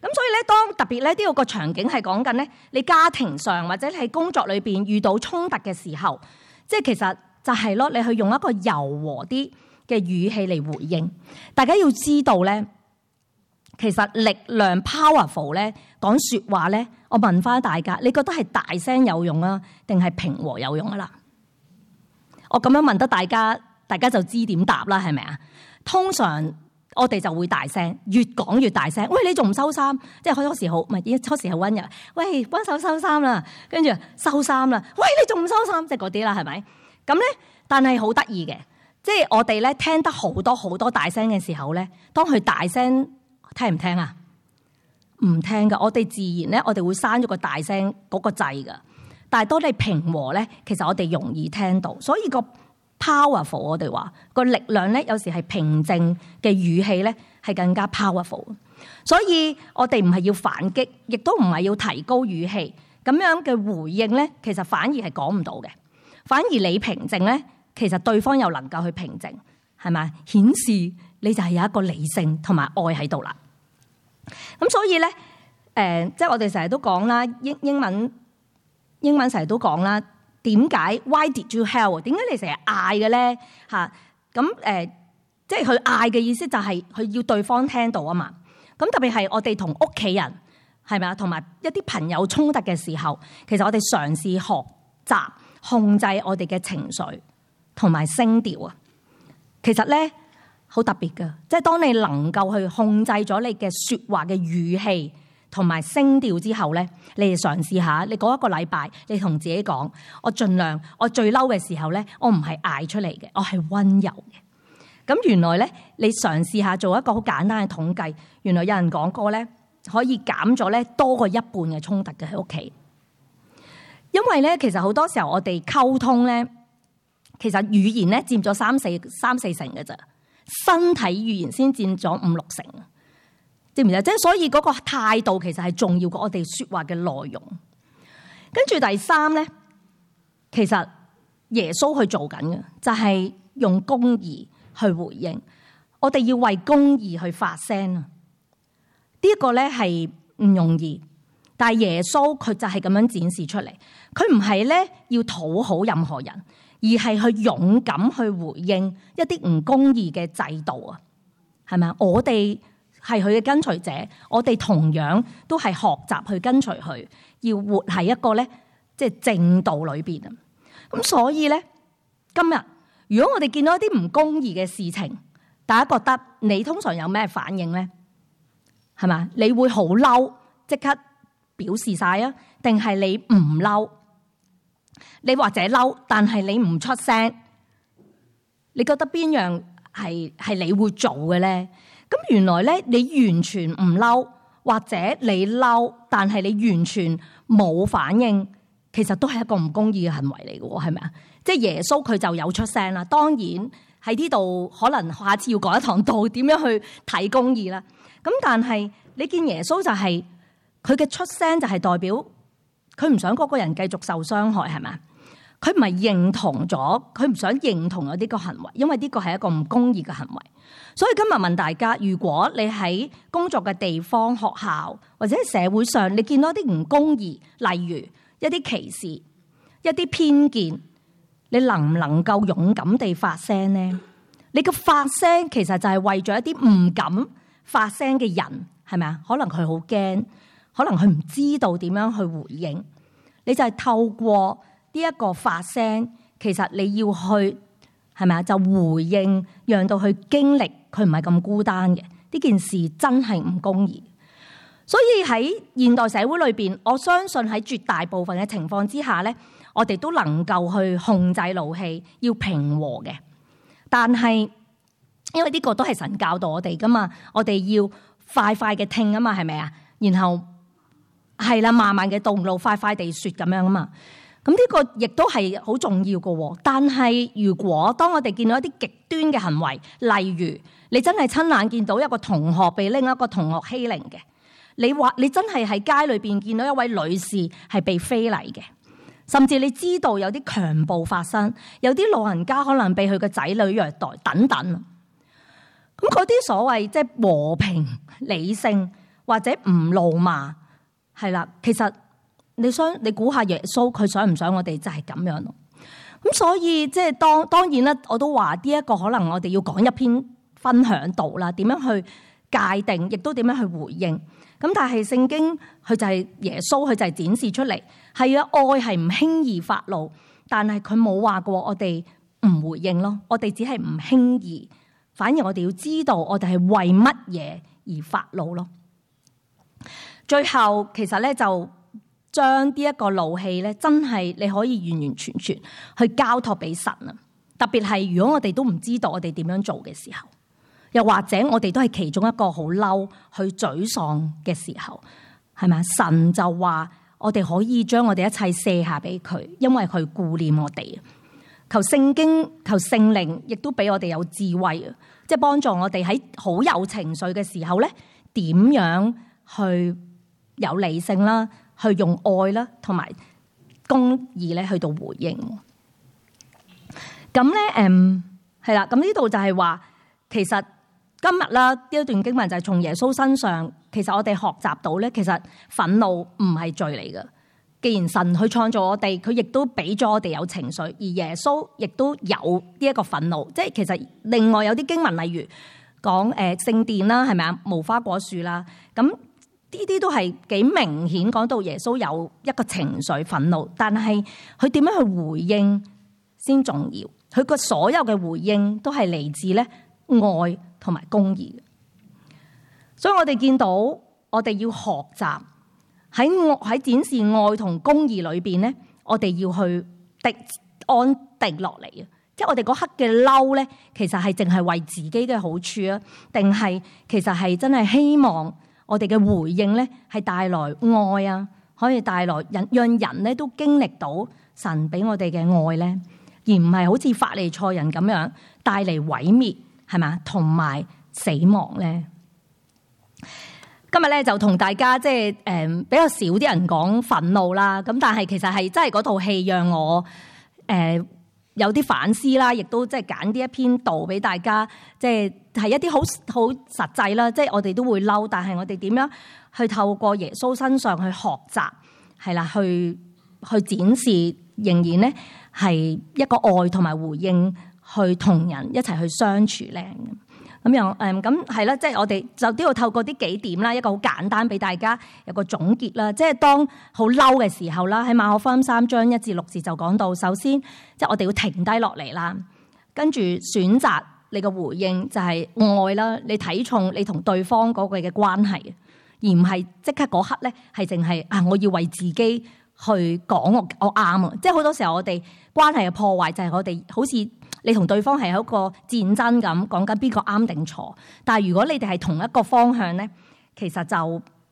咁所以咧，當特別咧呢個場景係講緊咧，你家庭上或者你喺工作裏邊遇到衝突嘅時候，即係其實就係咯，你去用一個柔和啲嘅語氣嚟回應。大家要知道咧，其實力量 powerful 咧講説話咧，我問翻大家，你覺得係大聲有用啊，定係平和有用啊啦？我咁樣問得大家就知點答啦，係咪啊？通常我哋就會大聲，越講越大聲。喂，你仲唔收衫？即係好多時好，唔係初時係溫柔。喂，幫手收衫啦，跟住收衫啦。喂，你仲唔收衫？即係嗰啲啦，係咪？咁咧，但係好得意嘅，即係我哋咧聽得好多好多大聲嘅時候咧，當佢大聲聽唔聽啊？唔聽噶。我哋自然咧，我哋會閂咗個大聲嗰個掣噶。但係當你平和咧，其實我哋容易聽到，所以個 powerful 我哋話個力量咧，有時係平靜嘅語氣咧，係更加 powerful。所以我哋唔係要反擊，亦都唔係要提高語氣，咁樣嘅回應咧，其實反而係講唔到嘅。反而你平靜咧，其實對方又能夠去平靜，係咪？顯示你就係有一個理性同埋愛喺度啦。咁所以咧，即係我哋成日都講啦，英文成日都講啦。點解 ？Why did you howl？ 點解你成日嗌嘅咧？嚇咁即係佢嗌嘅意思就係佢要對方聽到啊嘛。咁特別係我哋同屋企人係咪啊？同埋一啲朋友衝突嘅時候，其實我哋嘗試學習控制我哋嘅情緒同埋聲調啊。其實咧好特別㗎，即係當你能夠去控制咗你嘅説話嘅語氣同埋聲調之後咧，你哋嘗試下，你嗰一個禮拜，你同自己講：我盡量，我最嬲嘅時候咧，我唔係嗌出嚟嘅，我係溫柔嘅。咁原來咧，你嘗試下做一個好簡單嘅統計，原來有人講過咧，可以減咗咧多過一半嘅衝突嘅喺屋企。因為咧，其實好多時候我哋溝通咧，其實語言咧佔咗三四成嘅咋，身體語言先佔咗5-6成。知唔知啊？即係所以嗰個態度其實係重要過我哋説話嘅內容。跟住第三咧，其實耶穌去做緊嘅就係用公義去回應。我哋要為公義去發聲啊！呢一個咧係唔容易，但係耶穌佢就係咁樣展示出嚟。佢唔係咧要討好任何人，而係去勇敢去回應一啲唔公義嘅制度啊！係咪啊？我哋係佢嘅跟隨者，我哋同樣都係學習去跟隨佢，要活喺一個咧即係正道裏邊啊。咁所以咧，今日如果我哋見到一啲唔公義嘅事情，大家覺得你通常有咩反應咧？係嘛？你會好嬲，即刻表示晒啊？定係你唔嬲？你或者嬲，但係你唔出聲？你覺得邊樣係你會做嘅咧？咁原來咧，你完全唔嬲，或者你嬲，但係你完全冇反應，其實都係一個唔公義嘅行為嚟嘅，係咪啊？即係耶穌佢就有出聲啦。當然喺呢度可能下次要講一堂道，點樣去睇公義啦。咁但係你見耶穌就係佢嘅出聲，就係代表佢唔想嗰個人繼續受傷害，係咪？佢唔係認同咗，佢唔想認同咗呢個行為，因為呢個係一個唔公義嘅行為。所以今日問大家，如果你喺工作嘅地方、學校或者社會上，你見到啲唔公義，例如一啲歧視、一啲偏見，你能唔能夠勇敢地發聲呢？你嘅發聲其實就係為咗一啲唔敢發聲嘅人，係咪啊？可能佢好驚，可能佢唔知道點樣去回應。你就係透過呢一個發聲，其實你要去係咪啊？就回應，讓到佢經歷佢唔係咁孤單嘅。呢件事真係唔公義。所以喺現代社會裏邊，我相信喺絕大部分嘅情況之下咧，我哋都能夠去控制怒氣，要平和嘅。但係因為呢個都係神教導我哋噶嘛，我哋要快快嘅聽啊嘛，係咪啊？然後係啦，慢慢嘅動怒，快快地說咁樣啊嘛。咁呢個亦都係好重要嘅。但係如果當我哋見到一啲極端嘅行為，例如你真係親眼見到一個同學被另一個同學欺凌嘅，你話你真係喺街裏邊見到一位女士係被非禮嘅，甚至你知道有啲強暴發生，有啲老人家可能被佢嘅仔女虐待等等。咁嗰啲所謂即係和平理性或者唔怒罵，係啦，其實你估下耶穌佢想唔想我哋就係咁樣咯？咁所以即係當然啦，我都話呢一個可能我哋要講一篇分享道啦，點樣去界定，亦都點樣去回應。咁但係聖經佢就係耶穌，佢就係展示出嚟，係啊，愛係唔輕易發怒，但係佢冇話過我哋唔回應咯，我哋只係唔輕易，反而我哋要知道我哋係為乜嘢而發怒咯。最後其實咧就將呢一個怒氣咧，真係你可以完完全全去交託俾神啊！特別係如果我哋都唔知道我哋點樣做嘅時候。又或者我哋都係其中一個好嬲、去沮喪嘅時候，係咪？神就話我哋可以將我哋一切卸下俾佢，因為佢顧念我哋。求聖經、求聖靈，亦都俾我哋有智慧啊！即係幫助我哋喺好有情緒嘅時候咧，點樣去有理性啦，去用愛啦，同埋公義咧去到回應。咁咧，係啦，咁呢度就係話，其實。今日啦，呢一段經文就係從耶穌身上，其實我哋學習到咧，其實憤怒唔係罪嚟嘅。既然神去創造我哋，佢亦都俾咗我哋有情緒，而耶穌亦都有呢一個憤怒。即係其實另外有啲經文，例如講聖殿啦，係咪啊？無花果樹啦，咁呢啲都係幾明顯講到耶穌有一個情緒憤怒，但係佢點樣去回應先重要。佢個所有嘅回應都係嚟自咧愛同埋公義，所以我哋見到我哋要學習喺展示愛同公義裏邊咧，我哋要去安定落嚟啊！即係我哋嗰刻嘅嬲咧，其實係淨係為自己嘅好處啊，定係其實係真係希望我哋嘅回應咧係帶來愛啊，可以帶來讓人咧都經歷到神俾我哋嘅愛咧，而唔係好似法利賽人咁樣帶嚟毀滅。係嘛，同埋死亡咧。今日咧就同大家即係比較少啲人講憤怒啦。咁但係其實係真係嗰套戲讓我有啲反思啦，亦都即係揀啲一篇道俾大家，即係一啲好實際啦。即係我哋都會嬲，但係我哋點樣去透過耶穌身上去學習，係啦，去展示，仍然咧係一個愛同埋回應。去同人一齊去相處咧，咁咁樣咁係啦，即係我哋就都要透過啲幾點啦，一個好簡單俾大家有個總結啦。即係當好嬲嘅時候啦，喺馬可福音3章1至6節就講到，首先即係我哋要停低落嚟啦，跟住選擇你嘅回應就係愛啦，你睇重你同對方嗰個嘅關係，而唔係即刻嗰刻咧係淨係我要為自己去講我啱啊！即係好多時候我哋關係嘅破壞就係我哋好似你同對方係一個戰爭咁，講緊邊個啱定錯。但係如果你哋係同一個方向咧，其實就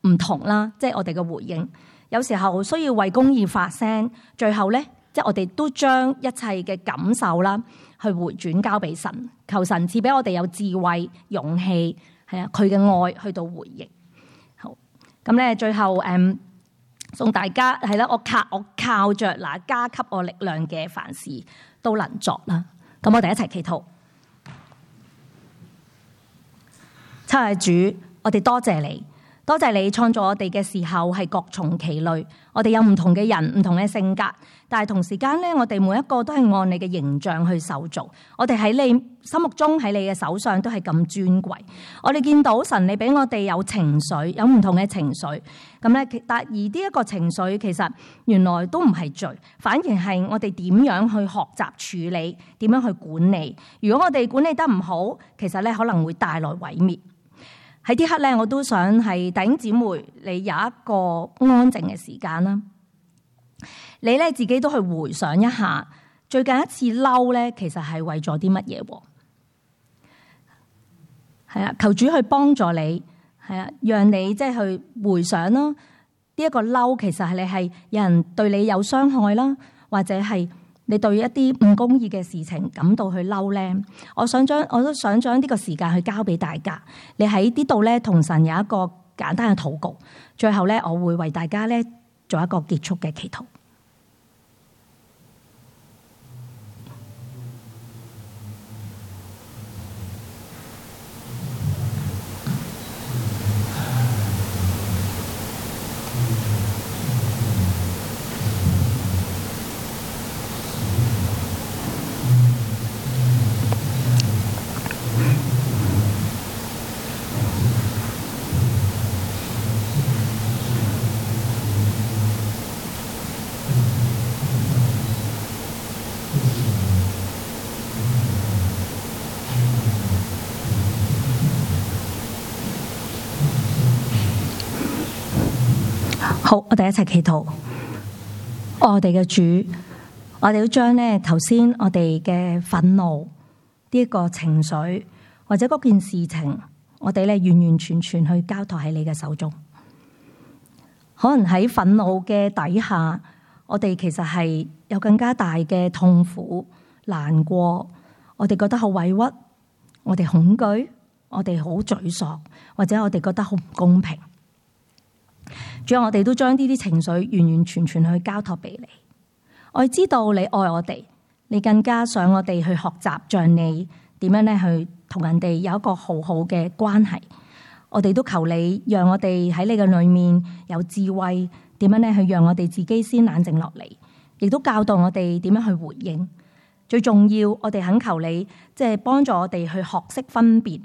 唔同啦。即係我哋嘅回應，有時候需要為公義發聲。最後咧，即係我哋都將一切嘅感受啦，去回轉交俾神，求神賜俾我哋有智慧、勇氣，係啊，佢嘅愛去到回應。好，咁咧最後送大家係啦，我靠着那加給我力量嘅，凡事都能作啦。咁我哋一齊祈禱。親愛的主，我哋多謝你，多謝你創造我哋嘅時候係各從其類，我哋有唔同嘅人，唔同嘅性格，但係同時間咧，我哋每一個都係按你嘅形象去受造，我哋喺你心目中，喺你嘅手上都係咁尊貴。我哋見到神，你俾我哋有情緒，有唔同嘅情緒，咁咧，但而呢一個情緒其實原來都唔係罪，反而係我哋點樣去學習處理，點樣去管理。如果我哋管理得唔好，其實咧可能會帶來毀滅。喺呢刻咧，我都想係弟兄姊妹，你有一個安靜嘅時間啦。你咧自己都去回想一下，最近一次嬲咧，其實係為咗啲乜嘢？係啊，求主去幫助你，係啊，讓你即係去回想啦。呢一個嬲，其實係你係有人對你有傷害啦，或者係你對一啲唔公義嘅事情感到去嬲咧。我都想將呢個時間去交俾大家。你喺呢度咧，同神有一個簡單嘅禱告。最後咧，我會為大家咧做一個結束嘅祈禱。好，我哋一齊祈禱。我哋嘅主，我哋要將咧頭先我哋嘅憤怒呢一個情緒或者嗰件事情，我哋咧完完全全去交託喺你嘅手中。可能喺憤怒嘅底下，我哋其實係有更加大嘅痛苦、難過，我哋覺得好委屈，我哋恐懼，我哋好沮喪，或者我哋覺得好唔公平。主要我哋都將呢啲情緒完完全全去交託俾你。我哋知道你愛我哋，你更加想我哋去學習像你點樣咧去同人哋有一個好好嘅關係。我哋都求你讓我哋喺你嘅裏面有智慧，點樣咧去讓我哋自己先冷靜落嚟，亦都教導我哋點樣去回應。最重要，我哋懇求你即係幫助我哋去學識分辨，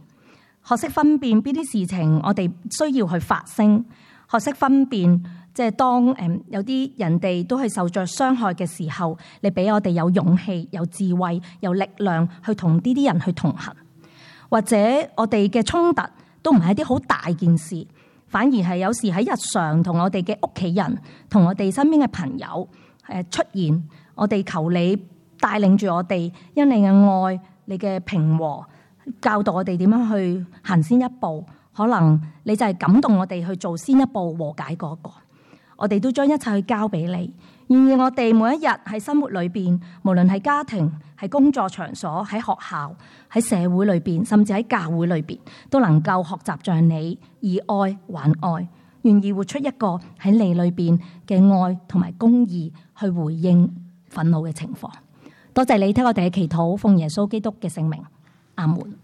學識分辨邊啲事情我哋需要去發聲。學識分辨，即係當有啲人哋都係受着傷害嘅時候，你俾我哋有勇氣、有智慧、有力量去同呢啲人去同行。或者我哋嘅衝突都唔係一啲好大件事，反而係有時喺日常同我哋嘅屋企人、同我哋身邊嘅朋友出現，我哋求你帶領住我哋，因你嘅愛、你嘅平和，教導我哋點樣去行先一步。可能你就係感動我哋去做先一步和解嗰個，我哋都將一切去交俾你。願意我哋每一日喺生活裏邊，無論係家庭、喺工作場所、喺學校、喺社會裏邊，甚至喺教會裏邊，都能夠學習像你以愛還愛，願意活出一個喺你裏邊嘅愛同埋公義去回應憤怒嘅情況。多謝你聽我哋嘅祈禱，奉耶穌基督嘅聖名，阿門。